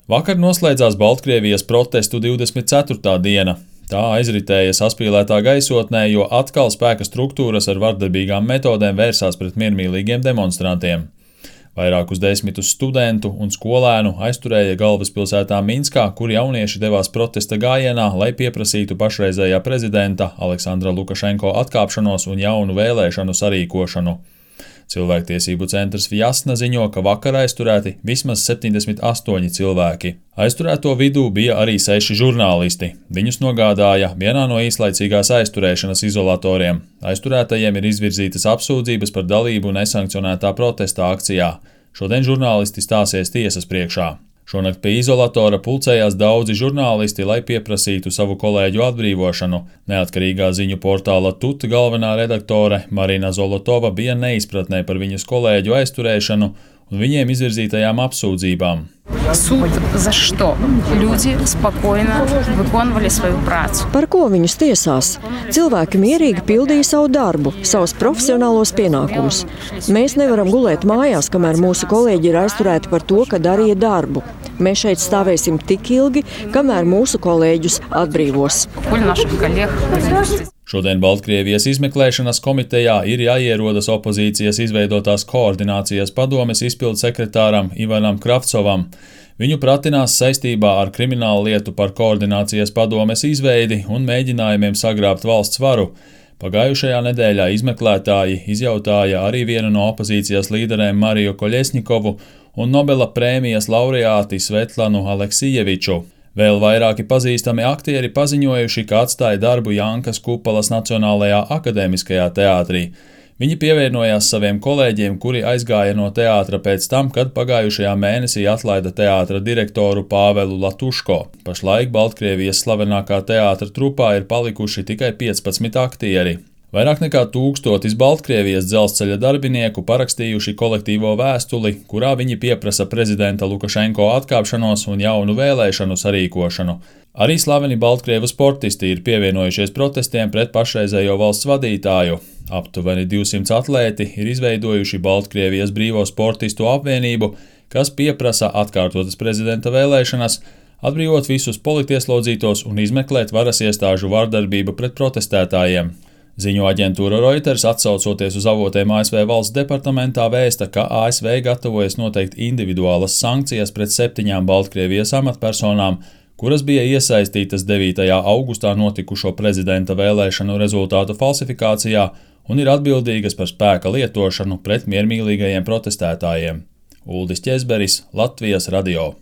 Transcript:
Vakar noslēdzās Baltkrievijas protestu 24. diena. Tā aizritēja saspīlētā gaisotnē, jo atkal spēka struktūras ar vardarbīgām metodēm vērsās pret miermīlīgiem demonstrantiem. Vairākus desmitus studentu un skolēnu aizturēja galvaspilsētā Minskā, kur jaunieši devās protesta gājienā, lai pieprasītu pašreizējā prezidenta Aleksandra Lukašenko atkāpšanos un jaunu vēlēšanu sarīkošanu. Cilvēktiesību centrs Vjasna ziņo, ka vakar aizturēti vismaz 78 cilvēki. Aizturēto vidū bija arī 6 žurnālisti. Viņus nogādāja vienā no īslaicīgās aizturēšanas izolatoriem. Aizturētajiem ir izvirzītas apsūdzības par dalību nesankcionētā protesta akcijā. Šodien žurnālisti stāsies tiesas priekšā. Šonakt pie izolatora pulcējās daudzi žurnālisti, lai pieprasītu savu kolēģu atbrīvošanu. Neatkarīgā ziņu portāla TUT galvenā redaktore Marina Zolotova bija neizpratnē par viņas kolēģu aizturēšanu un viņiem izvirzītajām apsūdzībām. Суд за что? Люди спокойно выполняли свою працу. Par ko viņus tiesās? Cilvēki mierīgi pildīja savu darbu, savus profesionālos pienākumus. Mēs nevaram gulēt mājās, kamēr mūsu kolēģi ir aizturēti par to, ka darīja darbu. Mēs šeit stāvēsim tik ilgi, kamēr mūsu kolēģus atbrīvos. Šodien Baltkrievijas izmeklēšanas komitejā ir jāierodas opozīcijas izveidotās koordinācijas padomes izpildu sekretāram Ivanam Kravcovam. Viņu pratinās saistībā ar kriminālu lietu par koordinācijas padomes izveidi un mēģinājumiem sagrābt valsts varu. Pagājušajā nedēļā izmeklētāji izjautāja arī vienu no opozīcijas līderēm Mariju Koļesņikovu un Nobela prēmijas laureāti Svetlanu Aleksijeviču. Vēl vairāki pazīstami aktieri paziņojuši, ka atstāja darbu Jankas Kupalas Nacionālajā akadēmiskajā teātrī. Viņi pievienojās saviem kolēģiem, kuri aizgāja no teātra pēc tam, kad pagājušajā mēnesī atlaida teātra direktoru Pāvelu Latuško. Pašlaik Baltkrievijas slavenākā teātra trupā ir palikuši tikai 15 aktieri. Vairāk nekā 1000 Baltkrievijas dzelzceļa darbinieku parakstījuši kolektīvo vēstuli, kurā viņi pieprasa prezidenta Lukašenko atkāpšanos un jaunu vēlēšanu sarīkošanu. Arī slaveni Baltkrievu sportisti ir pievienojušies protestiem pret pašreizējo valsts vadītāju. Aptuveni 200 atlēti ir izveidojuši Baltkrievijas brīvo sportistu apvienību, kas pieprasa atkārtotas prezidenta vēlēšanas, atbrīvot visus politieslodzītos un izmeklēt varas iestāžu vardarbību pret protestētājiem. Ziņu aģentūra Reuters, atsaucoties uz avotiem ASV valsts departamentā, vēsta, ka ASV gatavojas noteikt individuālas sankcijas pret 7 Baltkrievijas amatpersonām, kuras bija iesaistītas 9. augustā notikušo prezidenta vēlēšanu rezultātu falsifikācijā un ir atbildīgas par spēka lietošanu pret miermīlīgajiem protestētājiem. Uldis Ķezberis, Latvijas radio.